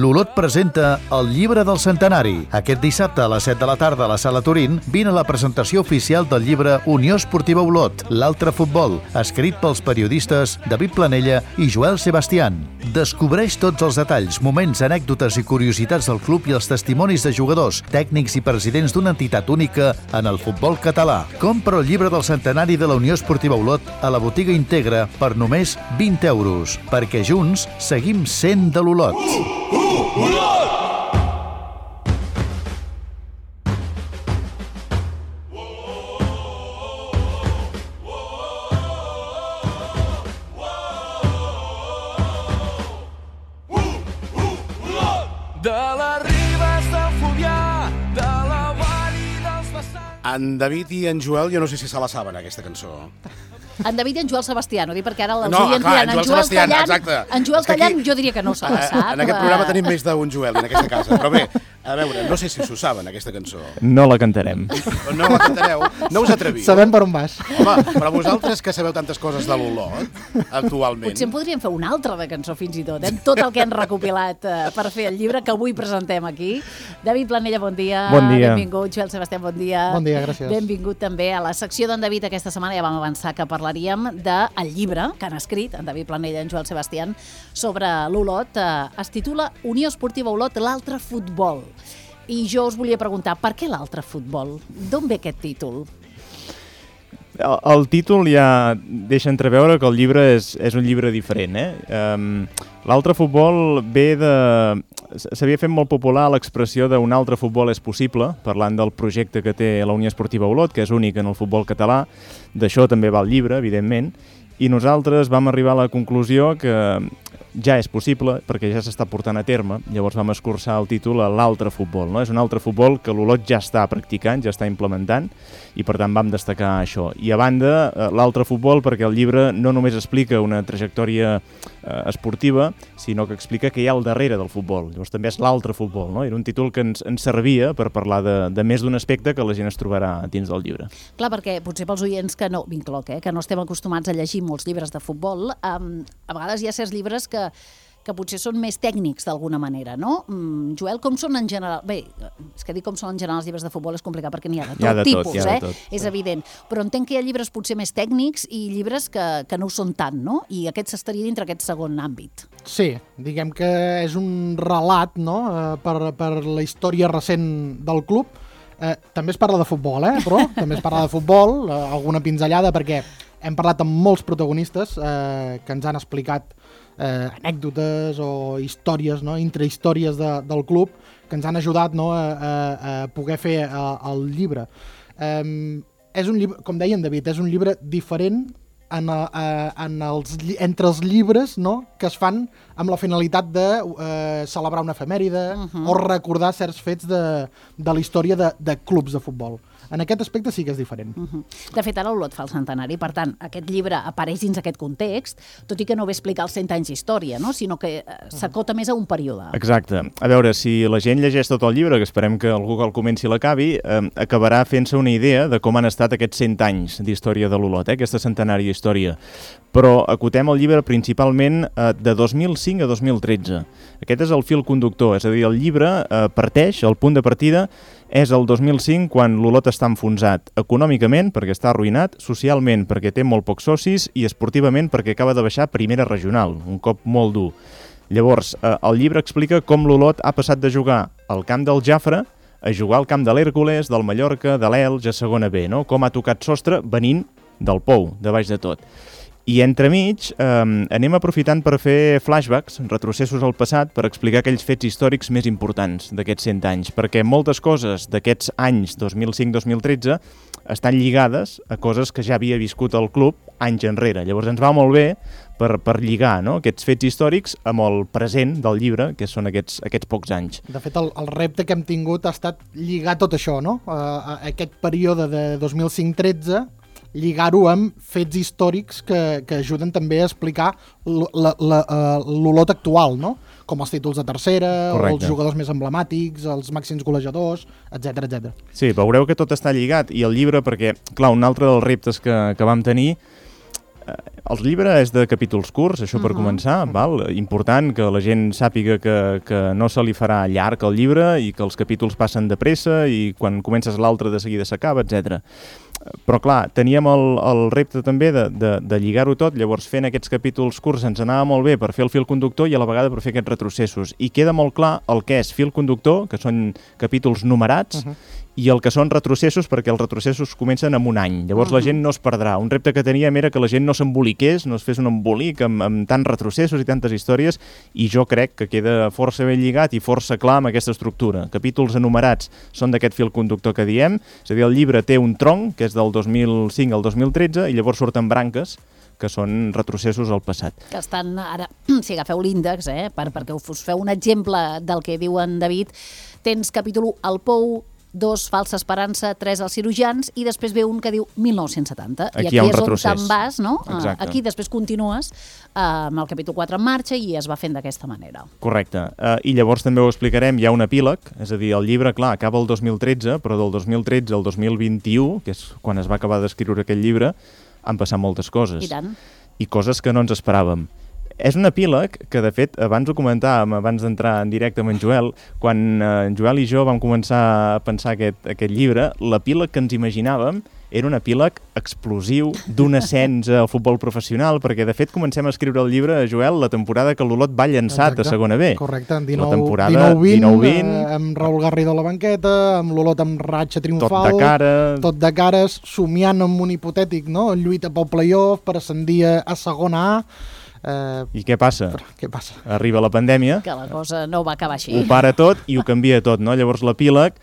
L'Olot presenta El llibre del centenari. Aquest dissabte a les 7 de la tarda a la Sala Turín vine a la presentació oficial del llibre Unió Esportiva Olot, l'altre futbol, escrit pels periodistes David Planella i Joel Sebastián. Descobreix tots els detalls, moments, anècdotes i curiositats del club i els testimonis de jugadors, tècnics i presidents d'una entitat única en el futbol català. Compra el llibre del centenari de la Unió Esportiva Olot a la botiga Integra per només 20 euros, perquè junts seguim sent de l'Olot. Olot! De les ribes del Fluvià, de la vall i dels vessants... En David i en Joel, jo no sé si se la saben, aquesta cançó. En David i en Joel Sebastià, no dic perquè ara els No, oients clar, diran en Joel Sebastián, exacte. En Joel Tallant jo diria que no se la sap. En aquest programa tenim més d'un Joel en aquesta casa, però bé, a veure, no sé si s'ho saben, aquesta cançó. No la cantarem. No la cantareu? No us atreviu? Sabem per on vas. Home, però vosaltres que sabeu tantes coses de l'Olot, actualment... Potser en podríem fer una altra de cançó fins i tot, tot el que han recopilat per fer el llibre que avui presentem aquí. David Planella, bon dia. Bon dia. Benvingut. Joel Sebastián, bon dia. Bon dia, gràcies. Benvingut també a la secció d'en David. Aquesta setmana ja vam avançar que parlaríem del llibre que han escrit en David Planella i en Joel Sebastián sobre l'Olot. Es titula Unió Esportiva Olot, l'altre futbol. I jo us volia preguntar, per què l'altre futbol? D'on ve aquest títol? El títol ja deixa entreveure que el llibre és un llibre diferent. L'altre futbol ve de... S'havia fet molt popular l'expressió d'un altre futbol és possible, parlant del projecte que té la Unió Esportiva Olot, que és únic en el futbol català. D'això també va el llibre, evidentment. I nosaltres vam arribar a la conclusió que ja és possible, perquè ja s'està portant a terme. Llavors vam escurçar el títol a l'altre futbol. No? És un altre futbol que l'Olot ja està practicant, ja està implementant, i per tant vam destacar això. I a banda, l'altre futbol, perquè el llibre no només explica una trajectòria esportiva, sinó que explica què hi ha al darrere del futbol. Llavors també és l'altre futbol. No? Era un títol que ens servia per parlar de més d'un aspecte que la gent es trobarà dins del llibre. Clar, perquè potser pels oients que no, m'incloc, que no estem acostumats a llegir molts llibres de futbol, a vegades hi ha certs llibres que potser són més tècnics d'alguna manera, no? Joel, com són en general? Bé, és que dir com són en general els llibres de futbol és complicat perquè n'hi ha de tot tipus, és evident. Però entenc que hi ha llibres potser més tècnics i llibres que no ho són tant, no? I aquest s'estaria dintre aquest segon àmbit. Sí, diguem que és un relat, no?, per la història recent del club. També es parla de futbol, però també es parla de futbol, alguna pinzellada, perquè hem parlat amb molts protagonistes que ens han explicat anècdotes o històries, no?, intrahistòries del club que ens han ajudat, no?, a poder fer el llibre. És un llibre, com deia en David, és un llibre diferent entre els llibres, no?, que es fan amb la finalitat de celebrar una efemèride o recordar certs fets de la història de clubs de futbol. En aquest aspecte sí que és diferent. De fet, ara l'Olot fa el centenari, per tant, aquest llibre apareix dins aquest context, tot i que no ve a explicar els 100 anys d'història, no?, sinó que s'acota més a un període. Exacte. A veure, si la gent llegeix tot el llibre, que esperem que algú que el comenci l'acabi, acabarà fent-se una idea de com han estat aquests 100 anys d'història de l'Olot, aquesta centenària història. Però acotem el llibre principalment de 2005 a 2013. Aquest és el fil conductor, és a dir, el llibre parteix, el punt de partida és el 2005, quan l'Olot està enfonsat econòmicament, perquè està arruïnat, socialment, perquè té molt pocs socis, i esportivament, perquè acaba de baixar a primera regional, un cop molt dur. Llavors, el llibre explica com l'Olot ha passat de jugar al camp del Jafre a jugar al camp de l'Hèrcules, del Mallorca, de l'Elx, a segona B, no? Com ha tocat sostre venint del Pou, de baix de tot. I entremig anem aprofitant per fer flashbacks, retrocessos al passat, per explicar aquells fets històrics més importants d'aquests 100 anys, perquè moltes coses d'aquests anys 2005-2013 estan lligades a coses que ja havia viscut el club anys enrere. Llavors ens va molt bé per lligar, no?, aquests fets històrics amb el present del llibre, que són aquests pocs anys. De fet, el repte que hem tingut ha estat lligar tot això, no?, aquest període de 2005-13, lligar-ho amb fets històrics que ajuden també a explicar l'Olot actual, no?, com els títols de tercera, correcte, els jugadors més emblemàtics, els màxims golejadors, etc etc. Sí, veureu que tot està lligat, i el llibre, perquè, clar, un altre dels reptes que vam tenir El llibre és de capítols curts, això per començar, val? Important que la gent sàpiga que no se li farà llarg el llibre i que els capítols passen de pressa i quan comences l'altre de seguida s'acaba, etc. Però clar, teníem el repte també de lligar-ho tot, llavors fent aquests capítols curts ens anava molt bé per fer el fil conductor i a la vegada per fer aquests retrocessos. I queda molt clar el que és fil conductor, que són capítols numerats, i el que són retrocessos, perquè els retrocessos comencen en un any. Llavors la gent no es perdrà. Un repte que teníem era que la gent no s'emboliqués, no es fes un embolic amb tants retrocessos i tantes històries, i jo crec que queda força ben lligat i força clar amb aquesta estructura. Capítols enumerats són d'aquest fil conductor que diem, és a dir, el llibre té un tronc, que és del 2005 al 2013, i llavors surten branques, que són retrocessos al passat. Que estan ara, si agafeu l'índex, perquè us feu un exemple del que diu en David, tens capítol 1, el Pou, 2, Falsa Esperança, 3, els cirurgians, i després ve un que diu 1970. Aquí I aquí hi ha un és retrocés. on te'n vas, no? Exacte. Aquí després continues amb el capítol 4 en marxa i es va fent d'aquesta manera. Correcte. I llavors també ho explicarem, hi ha un epíleg, és a dir, el llibre, clar, acaba el 2013, però del 2013 al 2021, que és quan es va acabar d'escriure aquest llibre, han passat moltes coses. I tant. I coses que no ens esperàvem. És un epíleg que, de fet, abans ho comentàvem, abans d'entrar en directe amb en Joel, quan en Joel i jo vam començar a pensar aquest llibre, l'epíleg que ens imaginàvem era un epíleg explosiu d'un ascens al futbol professional, perquè, de fet, comencem a escriure el llibre, Joel, la temporada que l'Olot va llançat a segona B. Correcte, en la temporada 19-20, amb Raül Garrido a la banqueta, amb l'Olot amb ratxa triomfal, tot de cares, somiant amb un hipotètic, no? Lluita pel play-off per ascendir a segona A. I què passa? Què passa? Arriba la pandèmia, Que la cosa no va acabar així. ho para tot i ho canvia tot, no? Llavors l'epíleg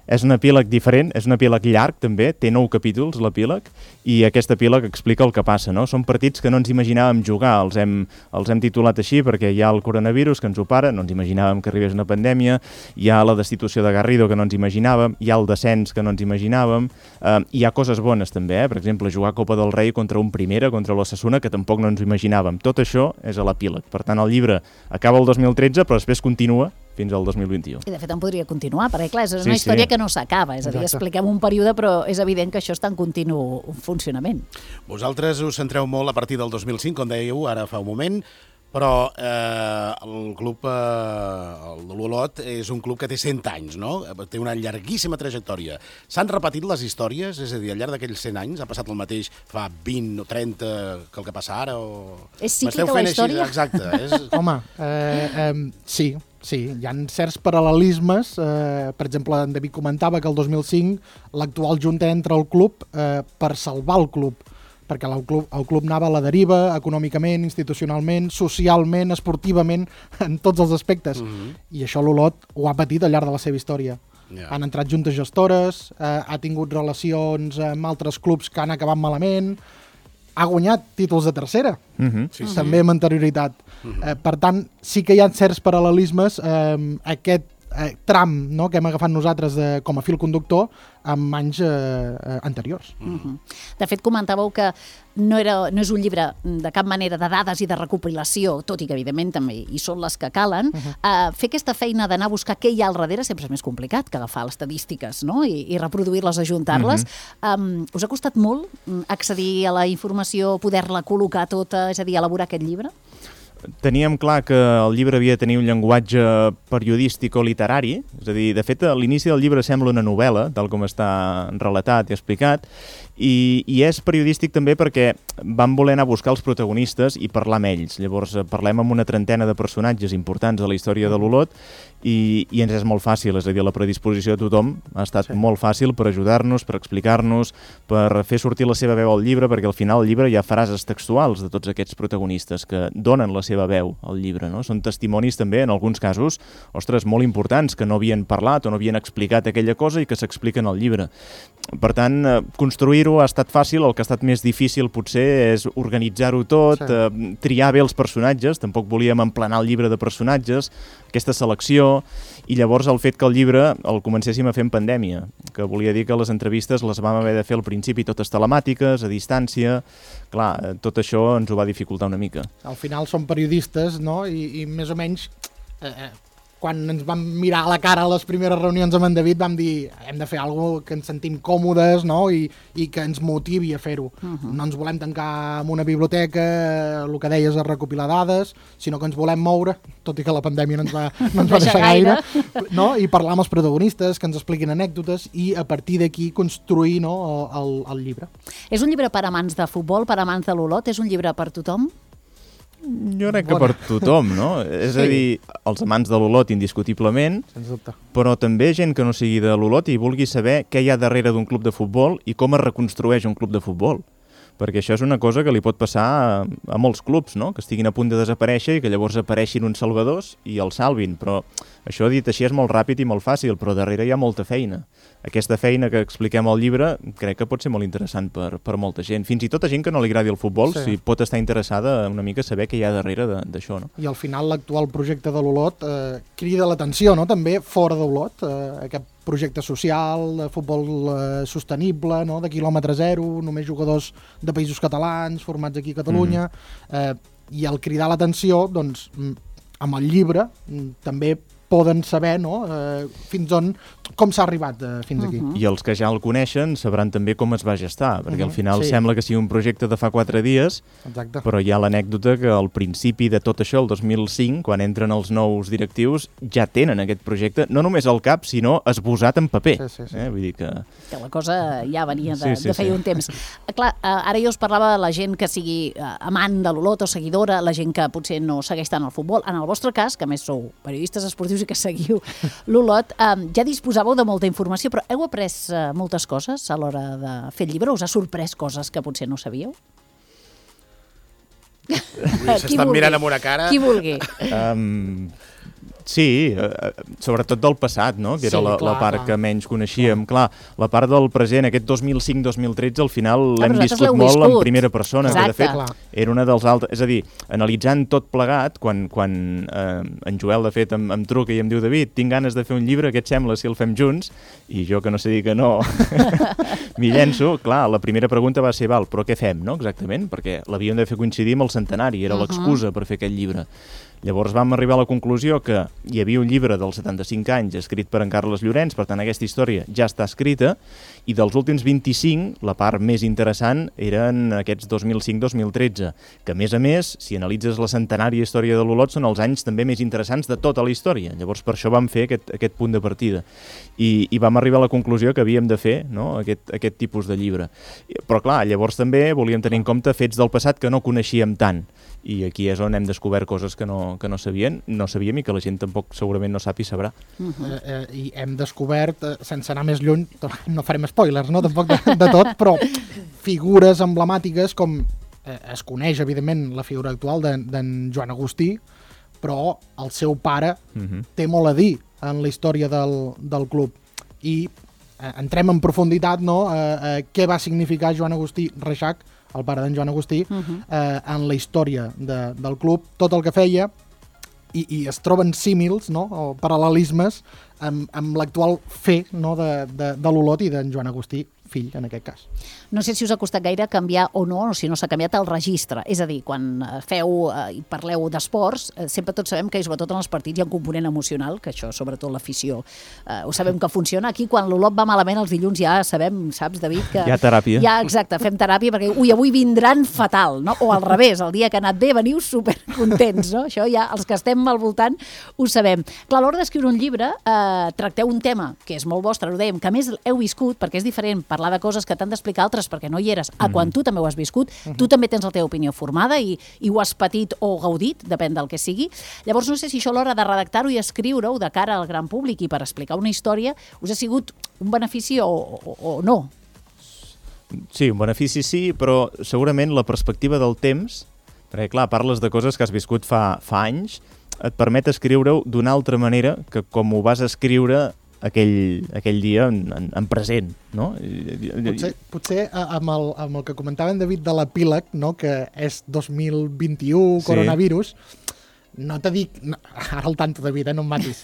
és un epíleg diferent, és un epíleg llarg també, té 9 capítols l'epíleg, i aquest epíleg explica el que passa, no? Són partits que no ens imaginàvem jugar, els hem titulat així perquè hi ha el coronavirus que ens ho para, no ens imaginàvem que arribés una pandèmia, hi ha la destitució de Garrido que no ens imaginàvem, hi ha el descens que no ens imaginàvem, hi ha coses bones també, per exemple, jugar Copa del Rei contra un Primera, contra l'Osasuna, que tampoc no ens imaginàvem. Tot això és a l'epíleg. Per tant, el llibre acaba el 2013, però després continua fins al 2021. I de fet en podria continuar, perquè clar, és una història que no s'acaba, és a dir, expliquem un període, però és evident que això està en continu funcionament. Vosaltres us centreu molt a partir del 2005, com dèieu ara fa un moment, però el club, el de l'Olot, és un club que té 100 anys, no? Té una llarguíssima trajectòria. S'han repetit les històries? És a dir, al llarg d'aquells 100 anys ha passat el mateix fa 20 o 30 que el que passa ara? És cíclica la història? Exacte. Home, sí. Sí, hi ha certs paral·lelismes. Per exemple, en David comentava que el 2005 l'actual junta entra al club per salvar el club, perquè el club anava a la deriva, econòmicament, institucionalment, socialment, esportivament, en tots els aspectes. I això l'Olot ho ha patit al llarg de la seva història. Han entrat juntes gestores, ha tingut relacions amb altres clubs que han acabat malament, ha guanyat títols de tercera, també amb anterioritat. Per tant, sí que hi ha certs paral·lelismes, aquest tram, no, que hem agafat nosaltres com a fil conductor amb anys anteriors. De fet, comentàveu que no és un llibre de cap manera de dades i de recopilació, tot i que evidentment també hi són les que calen. Fer aquesta feina d'anar a buscar què hi ha al darrere sempre és més complicat que agafar les estadístiques, no? I reproduir-les, ajuntar-les. Us ha costat molt accedir a la informació, poder-la col·locar tota, és a dir, elaborar aquest llibre? Teníem clar que el llibre havia de tenir un llenguatge periodístic o literari, és a dir, de fet, a l'inici del llibre sembla una novel·la, tal com està relatat i explicat, i és periodístic també perquè vam voler anar a buscar els protagonistes i parlar amb ells. Llavors parlem amb una trentena de personatges importants a la història de l'Olot i ens és molt fàcil, és a dir, la predisposició de tothom ha estat molt fàcil per ajudar-nos, per explicar-nos, per fer sortir la seva veu al llibre, perquè al final al llibre hi ha frases textuals de tots aquests protagonistes que donen la seva veu al llibre, no? Són testimonis també, en alguns casos, ostres, molt importants, que no havien parlat o no havien explicat aquella cosa i que s'expliquen al llibre. Per tant, construir-ho ha estat fàcil, el que ha estat més difícil potser és organitzar-ho tot, triar bé els personatges, tampoc volíem emplenar el llibre de personatges, aquesta selecció, i llavors el fet que el llibre el comencéssim a fer en pandèmia, que volia dir que les entrevistes les vam haver de fer al principi totes telemàtiques, a distància, clar, tot això ens ho va dificultar una mica. Al final som periodistes, no? I més o menys quan ens vam mirar a la cara a les primeres reunions amb en David, vam dir hem de fer alguna cosa que ens sentim còmodes, no? I que ens motivi a fer-ho. No ens volem tancar en una biblioteca, el que deies, a recopilar dades, sinó que ens volem moure, tot i que la pandèmia no ens va deixar gaire, no? I parlar amb els protagonistes, que ens expliquin anècdotes i a partir d'aquí construir, no, el llibre. És un llibre per amants de futbol, per amants de l'Olot? És un llibre per tothom? Jo crec que per tothom, no? És a dir, els amants de l'Olot, indiscutiblement, Sens dubte. però també gent que no sigui de l'Olot i vulgui saber què hi ha darrere d'un club de futbol i com es reconstrueix un club de futbol. Perquè això és una cosa que li pot passar a molts clubs, no? Que estiguin a punt de desaparèixer i que llavors apareixin uns salvadors i els salvin. Però això dit així és molt ràpid i molt fàcil, però darrere hi ha molta feina. Aquesta feina que expliquem al llibre crec que pot ser molt interessant per molta gent. Fins i tot a gent que no li agradi el futbol, si pot estar interessada una mica a saber què hi ha darrere d'això, no? I al final l'actual projecte de l'Olot crida l'atenció, no? També fora d'Olot, aquest projecte social, de futbol sostenible, no? De quilòmetre zero, només jugadors de països catalans, formats aquí a Catalunya, i al cridar l'atenció, doncs, amb el llibre també poden saber, no? Fins on, com s'ha arribat fins aquí. I els que ja el coneixen sabran també com es va gestar, perquè al final sembla que sigui un projecte de fa 4 dies, Exacte. però hi ha l'anècdota que al principi de tot això, el 2005, quan entren els nous directius, ja tenen aquest projecte, no només al cap, sinó esbossat en paper. Sí. Vull dir que la cosa ja venia de Sí. feia un temps. Clar, ara jo us parlava de la gent que sigui amant de l'Olot o seguidora, la gent que potser no segueix tant el futbol. En el vostre cas, que a més sou periodistes esportius i que seguiu l'Olot, ja disposàveu de molta informació, però heu après moltes coses a l'hora de fer el llibre? Us ha sorprès coses que potser no sabíeu? S'estan mirant amb una cara... Qui vulgui. sí, sobretot del passat, no? Que era Sí, la clar, part clar. que menys coneixíem. Clar, la part del present, aquest 2005-2013, al final l'hem vosaltres viscut l'heu molt en viscut. primera persona, que de Exacte. fet Clar. era una dels altres... És a dir, analitzant tot plegat, quan en Joel, de fet, em truca i em diu David, tinc ganes de fer un llibre, què et sembla si el fem junts? I jo, que no sé dir que no, m'hi llenço. Clar, la primera pregunta va ser, val, però què fem, no? Exactament, perquè l'havíem de fer coincidir amb el centenari, era l'excusa per fer aquest llibre. Llavors vam arribar a la conclusió que hi havia un llibre dels 75 anys escrit per en Carles Llorenç, per tant aquesta història ja està escrita, i dels últims 25, la part més interessant eren aquests 2005-2013, que a més, si analitzes la centenària història de l'Olot, són els anys també més interessants de tota la història. Llavors per això vam fer aquest punt de partida. I vam arribar a la conclusió que havíem de fer, no?, aquest tipus de llibre. Però clar, llavors també volíem tenir en compte fets del passat que no coneixíem tant. I aquí és on hem descobert coses que no sabíem i que la gent tampoc segurament no sap i sabrà. I hem descobert, sense anar més lluny, no farem spoilers, no? Tampoc de tot, però figures emblemàtiques com es coneix, evidentment, la figura actual d'en Joan Agustí, però el seu pare té molt a dir en la història del club. I entrem en profunditat, no?, què va significar Joan Agustí Reixac, el pare d'en Joan Agustí, en la història del club, tot el que feia, i es troben símils, no?, o paral·lelismes amb l'actual fer, no?, de l'Olot i d'en Joan Agustí, fill, en aquest cas. No sé si us ha costat gaire canviar o no, o si no s'ha canviat el registre. És a dir, quan feu i parleu d'esports, sempre tots sabem que, sobretot en els partits, hi ha un component emocional, que això, sobretot l'afició, ho sabem que funciona. Aquí, quan l'Olot va malament els dilluns, ja sabem, saps, David, que... Hi ha teràpia. Ja, exacte, fem teràpia, perquè, avui vindran fatal, no? O al revés, el dia que ha anat bé, veniu supercontents, no? Això ja, els que estem al voltant, ho sabem. Clar, a l'hora d'escriure un llibre, tracteu un tema que és molt vostre, ho dèiem, que a més heu viscut, perquè és diferent parlar de coses que t'han d'explicar altres perquè no hi eres, quan tu també ho has viscut, tu també tens la teva opinió formada i ho has patit o gaudit, depèn del que sigui. Llavors no sé si això a l'hora de redactar-ho i escriure-ho de cara al gran públic i per explicar una història us ha sigut un benefici o no? Sí, un benefici sí, però segurament la perspectiva del temps, perquè clar, parles de coses que has viscut fa anys, et permet escriure-ho d'una altra manera que com ho vas escriure aquell dia en present, no? Potser amb el que comentava en David de l'epíleg, no?, que és 2021, coronavirus, no te dic... Ara el tanto, David, no em matis.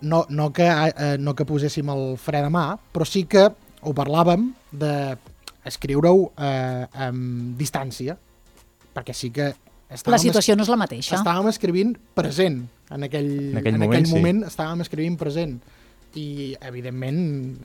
No que poséssim el fre de mà, però sí que ho parlàvem d'escriure-ho amb distància, perquè sí que La situació no és la mateixa. Estàvem escrivint present. En aquell moment estàvem escrivint present. I, evidentment,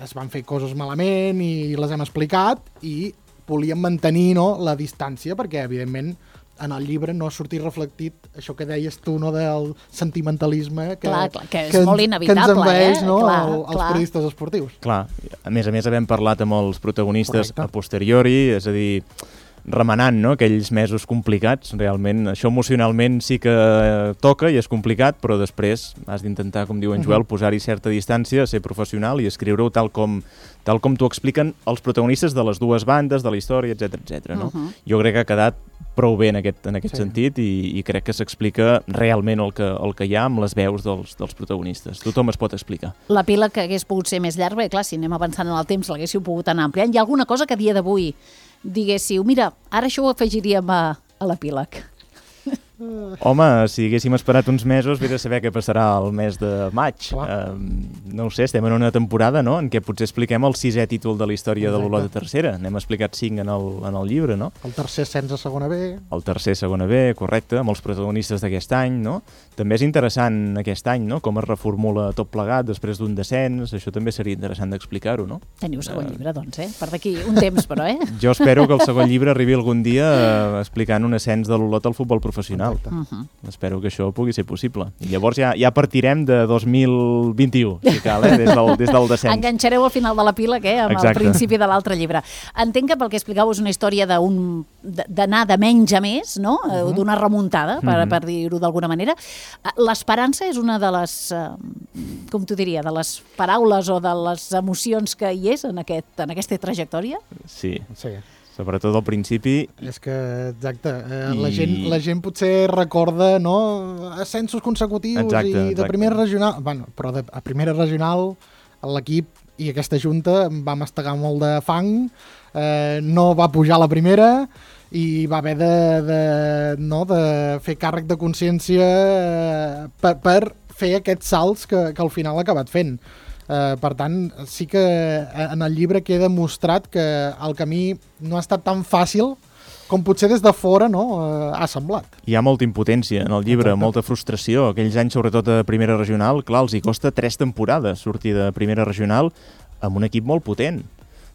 es van fer coses malament i les hem explicat i volíem mantenir la distància perquè, evidentment, en el llibre no ha sortit reflectit això que deies tu, del sentimentalisme que és molt inevitable, que ens envaeix els periodistes esportius. Clar, a més havem parlat amb els protagonistes a posteriori, és a dir, remenant aquells mesos complicats, realment això emocionalment sí que toca i és complicat, però després has d'intentar, com diu en Joel, posar-hi certa distància, ser professional i escriure-ho tal com t'ho expliquen els protagonistes de les dues bandes, de la història, etc. No? Jo crec que ha quedat prou bé en aquest sentit i crec que s'explica realment el que hi ha amb les veus dels protagonistes. Tothom es pot explicar. L'epíleg que hagués pogut ser més llarg, perquè clar, si anem avançant en el temps l'haguéssiu pogut anar ampliant. Hi ha alguna cosa que a dia d'avui diguéssiu, mira, ara això ho afegiríem a l'epíleg? Home, si haguéssim esperat uns mesos, vés a saber què passarà el mes de maig. No ho sé, estem en una temporada en què potser expliquem el 6è títol de la història de l'Olot de tercera. N'hem explicat 5 en el llibre, no? El tercer ascens a segona B. El tercer segona B, correcte, amb els protagonistes d'aquest any, no? També és interessant aquest any, no? Com es reformula tot plegat després d'un descens. Això també seria interessant d'explicar-ho, no? Teniu segon llibre, doncs, Per d'aquí un temps, però, Jo espero que el segon llibre arribi algun dia explicant un ascens de l'Olot al futbol professional. Espero que això pugui ser possible. I llavors ja partirem de 2021, si cal, des del descens. Enganxareu al final de l'epíleg, amb el principi de l'altre llibre. Entenc que pel que explicàveu és una història d'anar de menys a més, no? D'una remuntada, per dir-ho d'alguna manera. L'esperança és una de les, com t'ho diria, de les paraules o de les emocions que hi és en aquesta trajectòria? Sí. Sobretot al principi. És que, exacte, la gent potser recorda ascensos consecutius i de primera regional, però a primera regional l'equip i aquesta junta va mastegar molt de fang, no va pujar a la primera i va haver de fer càrrec de consciència per fer aquests salts que al final ha acabat fent. Per tant, sí que en el llibre queda demostrat que el camí no ha estat tan fàcil com potser des de fora ha semblat. Hi ha molta impotència en el llibre, molta frustració. Aquells anys, sobretot a primera regional, clar, els hi costa 3 temporades sortir de primera regional amb un equip molt potent,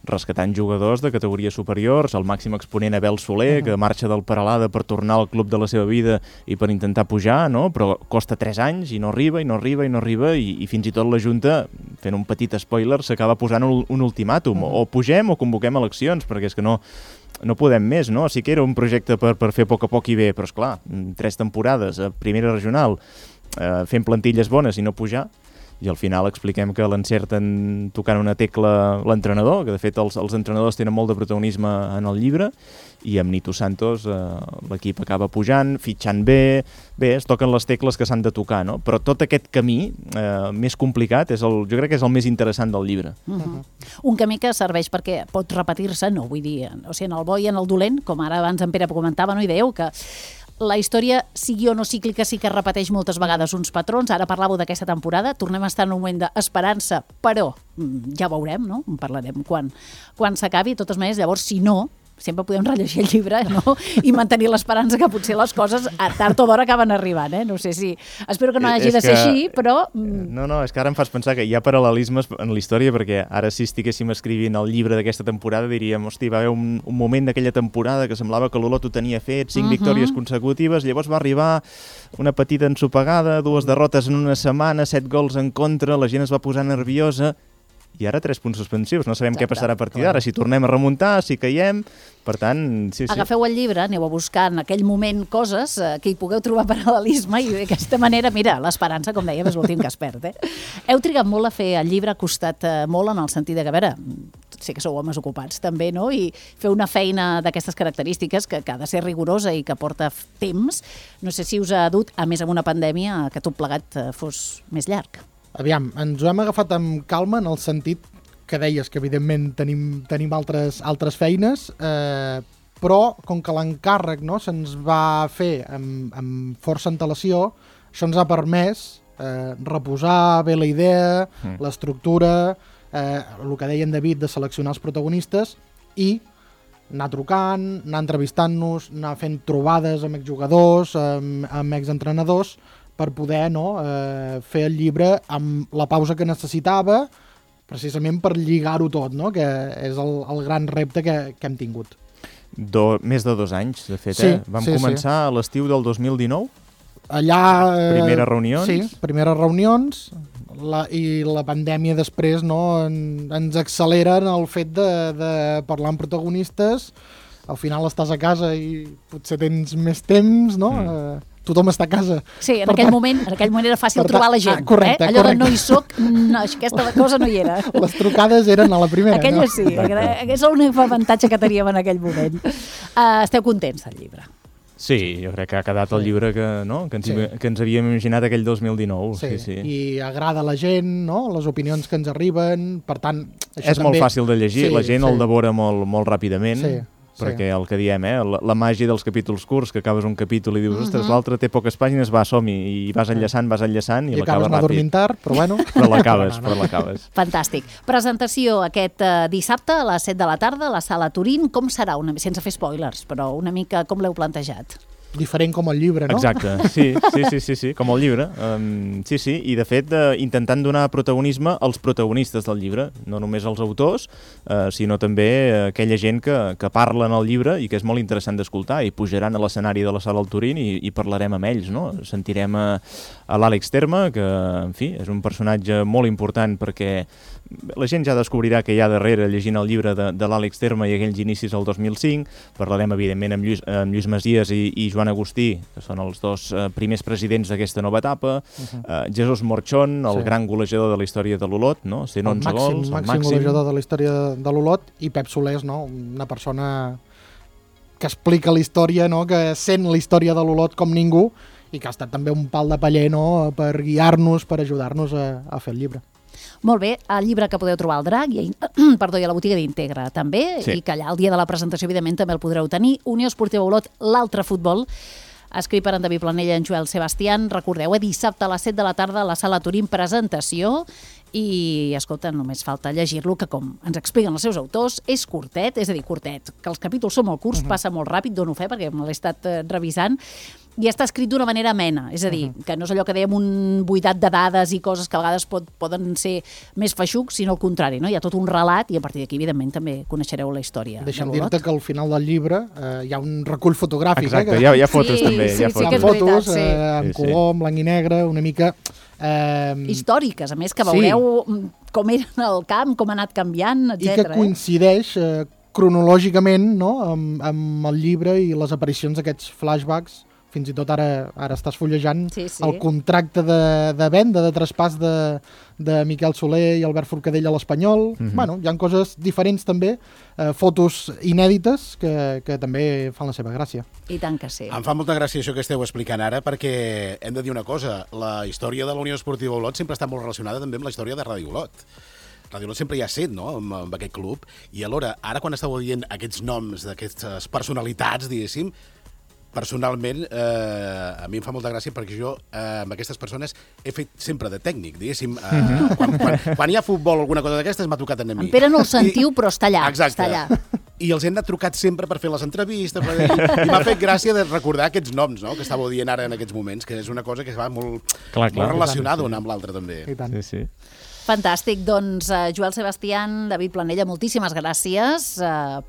rescatant jugadors de categories superiors, el màxim exponent Abel Soler, que marxa del Peralada per tornar al club de la seva vida i per intentar pujar, però costa 3 anys i no arriba, i fins i tot la Junta, fent un petit spoiler, s'acaba posant un ultimàtum, o pugem o convoquem eleccions, perquè és que no podem més, no? Sí que era un projecte per fer a poc i bé, però esclar, 3 temporades a primera regional, fent plantilles bones i no pujar, i al final expliquem que l'encerten tocant una tecla l'entrenador, que de fet els entrenadors tenen molt de protagonisme en el llibre, i amb Nito Santos l'equip acaba pujant, fitxant bé, es toquen les tecles que s'han de tocar, no? Però tot aquest camí més complicat jo crec que és el més interessant del llibre. Un camí que serveix perquè pot repetir-se, no vull dir, o sigui, en el bo i en el dolent, com ara abans en Pere comentava, i dèieu que la història, sigui o no cíclica, sí que repeteix moltes vegades uns patrons. Ara parlàveu d'aquesta temporada, tornem a estar en un moment d'esperança, però ja veurem, no? En parlarem quan s'acabi. De totes maneres, llavors, si no, sempre podem rellegir el llibre, i mantenir l'esperança que potser les coses tard o d'hora acaben arribant, No sé si... Espero que no hagi de ser així, però... No, és que ara em fas pensar que hi ha paral·lelismes en la història, perquè ara si estiguéssim escrivint el llibre d'aquesta temporada diríem, hosti, va haver un moment d'aquella temporada que semblava que l'Olot ho tenia fet, 5 victòries consecutives, llavors va arribar una petita ensopegada, 2 derrotes en una setmana, 7 gols en contra, la gent es va posar nerviosa, i ara 3 punts suspensius, no sabem què passarà a partir d'ara, si tornem a remuntar, si caiem, per tant, sí. Agafeu el llibre, aneu a buscar en aquell moment coses que hi pugueu trobar paral·lelisme i d'aquesta manera, mira, l'esperança, com dèiem, és l'últim que es perd. Heu trigat molt a fer el llibre, ha costat molt en el sentit de que, a veure, sé que sou homes ocupats també, i fer una feina d'aquestes característiques que ha de ser rigorosa i que porta temps, no sé si us ha dut, a més amb una pandèmia, que tot plegat fos més llarg. Aviam, ens ho hem agafat amb calma en el sentit que deies que evidentment tenim altres feines, però com que l'encàrrec se'ns va fer amb força antelació, això ens ha permès reposar bé la idea, l'estructura, el que deia en David de seleccionar els protagonistes i anar trucant, anar entrevistant-nos, anar fent trobades amb exjugadors, amb exentrenadors, per poder fer el llibre amb la pausa que necessitava, precisament per lligar-ho tot, no? Que és el gran repte que hem tingut. Més de 2 anys, de fet, eh? Vam començar a l'estiu del 2019? Allà... Primeres reunions? Sí, primeres reunions, i la pandèmia després ens accelera en el fet de parlar amb protagonistes. Al final estàs a casa i potser tens més temps, no? Tothom està a casa. Sí, en aquell moment era fàcil trobar la gent. Correcte, Allò de no hi soc, aquesta cosa no hi era. Les trucades eren a la primera. Aquella sí, és l'únic avantatge que teníem en aquell moment. Esteu contents del llibre? Sí, jo crec que ha quedat el llibre que ens havíem imaginat aquell 2019. Sí. I agrada a la gent, no? Les opinions que ens arriben, per tant... És molt fàcil de llegir, la gent el devora molt ràpidament. Perquè el que diem, la màgia dels capítols curts, que acabes un capítol i dius, ostres, l'altre té poques pàgines, som-hi, i vas enllaçant i l'acabes ràpid. Dormint tard, però bueno. Però l'acabes. Fantàstic. Presentació aquest dissabte a les 7 de la tarda a la Sala Turín. Com serà? Sense fer spoilers, però una mica com l'heu plantejat? Diferent com el llibre, no? Exacte, sí, com el llibre. Sí, i de fet intentant donar protagonisme als protagonistes del llibre, no només als autors, sinó també aquella gent que parla en el llibre i que és molt interessant d'escoltar, i pujaran a l'escenari de la Sala del Turín i parlarem amb ells, no? Sentirem a l'Àlex Terme, que, en fi, és un personatge molt important perquè la gent ja descobrirà que hi ha darrere llegint el llibre de l'Àlex Terme i aquells inicis del 2005. Parlarem, evidentment, amb Lluís Masies i Joan Agustí, que són els dos primers presidents d'aquesta nova etapa. Jesús Morchón, el gran golejador de la història de l'Olot, no? 111 gols, el màxim golejador de la història de l'Olot, i Pep Solés, no? Una persona que explica la història, no? Que sent la història de l'Olot com ningú, i que ha estat també un pal de paller, no? Per guiar-nos, per ajudar-nos a fer el llibre. Molt bé, el llibre que podeu trobar al Drac i a la botiga d'Integra també, i que allà el dia de la presentació evidentment també el podreu tenir. Unió Esportiva Olot, l'altre futbol, escrit per en David Planella i en Joel Sebastián. Recordeu, dissabte a les 7 de la tarda a la Sala Turín, presentació. I, escolta, només falta llegir-lo, que com ens expliquen els seus autors, és curtet, és a dir, curtet, que els capítols són molt curts, passa molt ràpid, dono fe perquè me l'he estat revisant, i està escrit d'una manera amena, és a dir, que no és allò que dèiem un buidat de dades i coses que a vegades poden ser més feixucs, sinó al contrari, no? Hi ha tot un relat i a partir d'aquí, evidentment, també coneixereu la història. Deixa'm dir-te que al final del llibre hi ha un recull fotogràfic. Exacte, hi ha fotos també. Hi ha fotos en color, en blanc i negre, una mica... històriques, a més, que veureu com era el camp, com ha anat canviant, etc. I que coincideix cronològicament, no? amb el llibre i les aparicions d'aquests flashbacks. Fins i tot ara estàs fullejant el contracte de venda, de traspàs de Miquel Soler i Albert Forcadell a l'Espanyol. Bueno, hi ha coses diferents també, fotos inèdites que també fan la seva gràcia. I tant que sí. Em fa molta gràcia això que esteu explicant ara, perquè hem de dir una cosa, la història de la Unió Esportiva Olot sempre està molt relacionada també amb la història de Ràdio Olot. Ràdio Olot sempre hi ha set, no?, amb aquest club, i alhora, ara quan estàveu dient aquests noms d'aquestes personalitats, diguéssim, personalment, a mi em fa molta gràcia perquè jo amb aquestes persones he fet sempre de tècnic, diguéssim. Quan hi ha futbol o alguna cosa d'aquestes m'ha tocat a mi. En Pere no el sentiu, però està allà. Exacte. Està allà. I els hem de trucat sempre per fer les entrevistes. I m'ha fet gràcia de recordar aquests noms, no?, que estàveu dient ara en aquests moments, que és una cosa que va molt relacionada una amb l'altra també. I tant. Sí. Fantàstic, doncs Joel Sebastián, David Planella, moltíssimes gràcies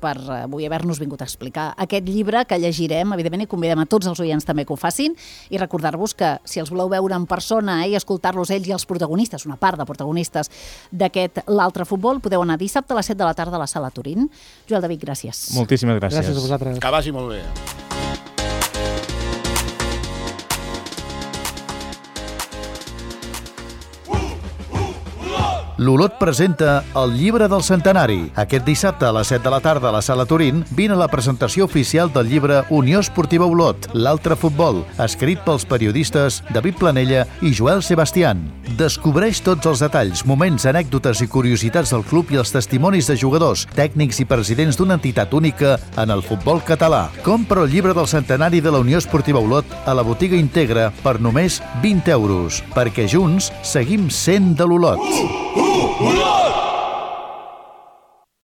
per avui haver-nos vingut a explicar aquest llibre que llegirem, evidentment, i convidem a tots els oients també que ho facin, i recordar-vos que si els voleu veure en persona i escoltar-los ells i els protagonistes, una part de protagonistes d'aquest l'altre futbol, podeu anar dissabte a les 7 de la tarda a la Sala Turín. Joel, David, gràcies. Moltíssimes gràcies. Gràcies a vosaltres. Que vagi molt bé. L'Olot presenta el llibre del centenari. Aquest dissabte a les 7 de la tarda a la Sala Turín vine a la presentació oficial del llibre Unió Esportiva Olot, l'altre futbol, escrit pels periodistes David Planella i Joel Sebastián. Descobreix tots els detalls, moments, anècdotes i curiositats del club i els testimonis de jugadors, tècnics i presidents d'una entitat única en el futbol català. Compra el llibre del centenari de la Unió Esportiva Olot a la botiga Integra per només 20 euros, perquè junts seguim sent de l'Olot.